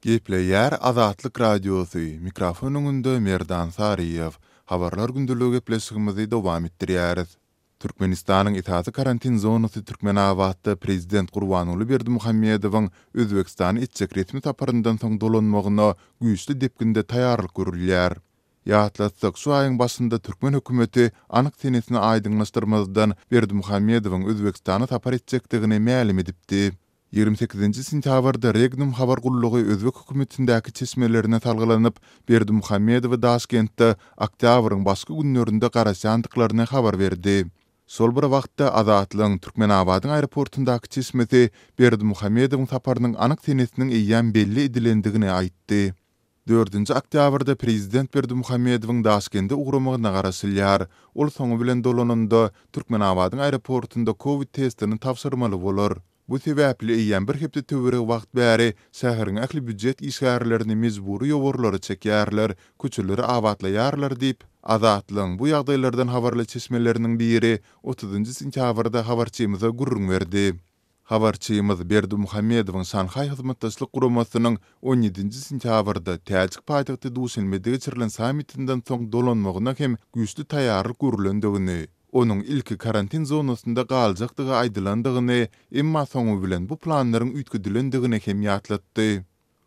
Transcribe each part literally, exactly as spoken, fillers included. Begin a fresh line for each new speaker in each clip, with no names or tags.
Gepleýär Azatlyk Radiosy, mikrofon öňünde Merdan Saryýew. Habarlar gündeligi gepleşigimizi dowam etdirýäris. Türkmenistanyň esasy karantin zonasy Türkmenabatda prezident Gurbanguly Berdimuhamedowyň Özbegistana etjek resmi saparyndan soň dolanmagyna güýçli depginde taýýarlyk görülýär. Ýatlatsak, şu aýyň başynda türkmen hökümeti anyk senesini aýdyňlaşdyrmazdan Berdimuhamedowyň Özbegistana sapar etjekdigini mälim edipdi. Ýigrimi sekizinji sentýabrda Regnum habar gullugy özbek hökümetindäki çeşmelerine salgylanyp, Berdimuhamedowy Daşkentde oktýabryň başky günlerinde garaşýandyklaryny habar berdi. Şol bir wagtda, Azatlygyň Türkmenabadyň aeroportundaky çeşmesi Berdimuhamedowyň saparynyň anyk senesiniň eýýäm belli edilendigini aýtdy. Dördünji oktýabrda prezident Berdimuhamedowyň Daşkende ugramagyna garaşylýar. Ol soňy bilen dolananda, Türkmenabadyň aeroportunda kowid testini tabşyrmaly bolar. Bu sebäpli eýýäm bir hepde töweregi wagt bäri şäheriň ähli býujet işgärlerini mejbury ýowarlara çekýärler, köçeleri abatlaýarlar diýip, Azatlygyň bu ýagdaýlardan habarly çeşmeleriniň biri otuzynjy sentýabrda habarçymyza gürrüň berdi. Habarçymyz Berdimuhamedowyň Şanhaý Hyzmatdaşlyk Guramasynyň on ýedinji sentýabrda täjik paýtagty Duşenbede geçirilen sammitinden soň dolanmagyna hem güýçli taýýarlyk görülendigini, onuň ilki karantin zonasynda galjakdygy aýdylandygyny, emma soňy bilen bu planlaryň üýtgedilendigini hem ýatlatdy.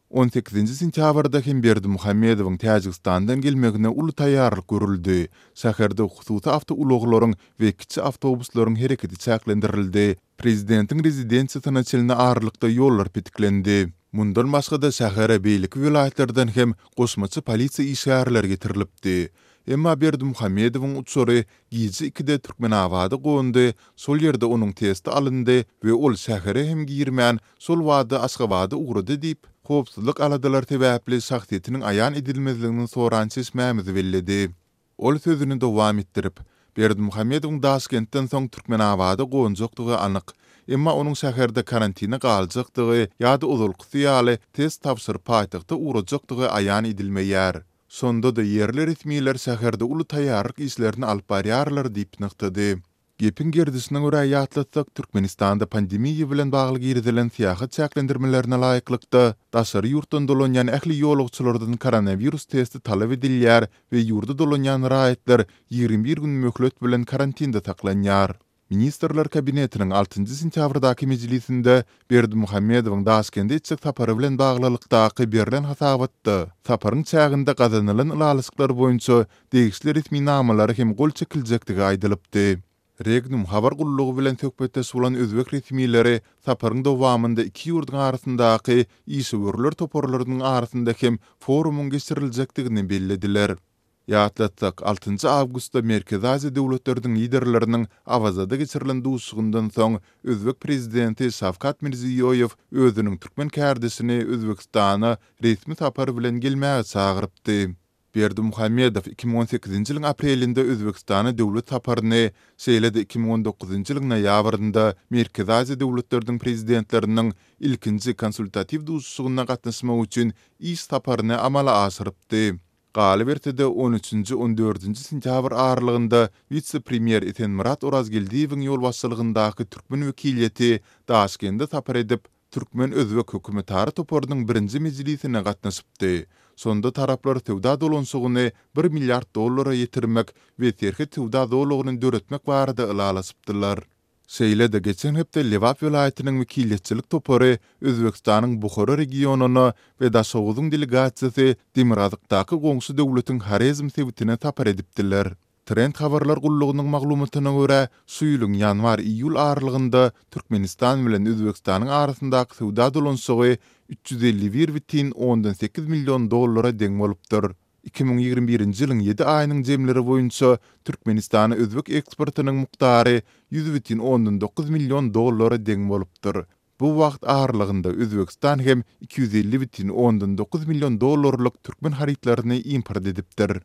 On sekizinji sentýabrda hem Berdimuhamedowyň Täjigistandan gelmegine uly taýýarlyk görüldi. Şäherde hususy awtoulaglaryň we kiçi awtobuslaryň hereketi çäklendirildi. Prezidentiň rezidensiýasyna çenli aralykda ýollar petiklendi. Mundan başga-da şähere beýleki welaýatlardan hem goşmaça polisiýa işgärleri getirilipdi. Emma Berdimuhamedowyň uçary gije ikide Türkmenabada gondy, şol ýerde onuň testi alyndy we ol şähere hem girmän, şol bada Aşgabada ugrady diýip, howpsuzlyk aladalary sebäpli şahsyýetiniň aýan edilmezligini soran çeşmämiz belledi. Ol sözüni dowam etdirip, Berdimuhamedowyň Daşkentden soň Türkmenabada gonjakdygy anyk. Emma onuň şäherde karantine galjakdygy ýa-da ozalkysy ýaly test tabşyryp paýtagta ugrajakdygy aýan edilmeýär. Şonda-da ýerli resmiler şäherde uly taýýarlyk işlerini alyp barýarlar diýip nygtady. Gepiň gerdişine görä ýatlatsak, Türkmenistanda pandemiýa bilen bagly girizilen syýahat çäklendirmelerine laýyklykda, daşary ýurtdan dolanýan ähli ýolagçylardan koronawirus testi talap edilýär we ýurda dolanýan raýatlar ýigrimi bir gün möhlet bilen karantinde saklanýar. Ministrler Kabinetiniň altynjy sentýabrdaky mejlisinde Berdimuhamedowyň Daşkende etjek sapary bilen baglylykdaky berlen hasabatda saparyň çäginde gazanylan ylalaşyklar boýunça degişli resminamalara hem gol çekiljekdigi aýdylypdy. Regnum habar gullugy bilen söhbetdeş bolan özbek resmileri saparyň dowamynda iki ýurduň arasyndaky işewürler toparlarynyň arasynda hem forumyň geçiriljekdigini bellediler. Ýatlatsak, altynjy awgustda Merkezi Aziýa döwletleriniň liderleriniň Awazada geçirilen duşuşygyndan soň özbek prezidenti Şawkat Mirziýoýew özüniň türkmen kärdeşini Özbegistana resmi sapar bilen gelmäge çagyrypdy. Berdimuhamedow iki müň on sekizinji ýylyň aprelinde Özbegistana döwlet saparyny, şeýle-de iki müň on dokuzynjy ýylyň noýabrynda Merkezi Aziýa döwletleriniň prezidentleriniň ilkinji konsultatiw duşuşygyna gatnaşmak üçin iş saparyny amala aşyrypdy. Galyberse-de, on üçünji, on dördünji sentýabr aralygynda wise-premýer Esenmyrat Orazgeldiýewiň ýolbaşçylygyndaky türkmen wekiliýeti Daşkende sapar edip, türkmen-özbek hökümetara toparynyň birinji mejlisine gatnaşypdy. Şonda taraplar söwda dolanyşygyny bir milliard dollara ýetirmek we serhet söwda zolagyny döretmek barada ylalaşypdylar. Şeýle-de geçen hepde Lebap welaýatynyň wekiliýetçilik topary Özbegistanyň Buhara regionyna we Daşoguzyň delegasiýasy demirgazykdaky goňşy döwletiň Horezm sebitine sapar edipdiler. Trend habarlar gullugynyň maglumatyna görä, şu ýylyň ýanwar-iýul aralygynda Türkmenistan bilen Özbegistanyň arasyndaky söwda dolanyşygy üç ýüz elli bir bütin ondan sekiz million dollara deň bolupdyr. Iki müň ýigrimi birinji ýylyň ýedi aýynyň jemleri boýunça Türkmenistana özbek eksportynyň mukdary ýüz bütin ondan dokuz million dollara deň bolupdyr. Bu wagt aralygynda Özbegistan hem iki ýüz elli bütin ondan dokuz million dollarlyk türkmen harytlaryny import edipdir.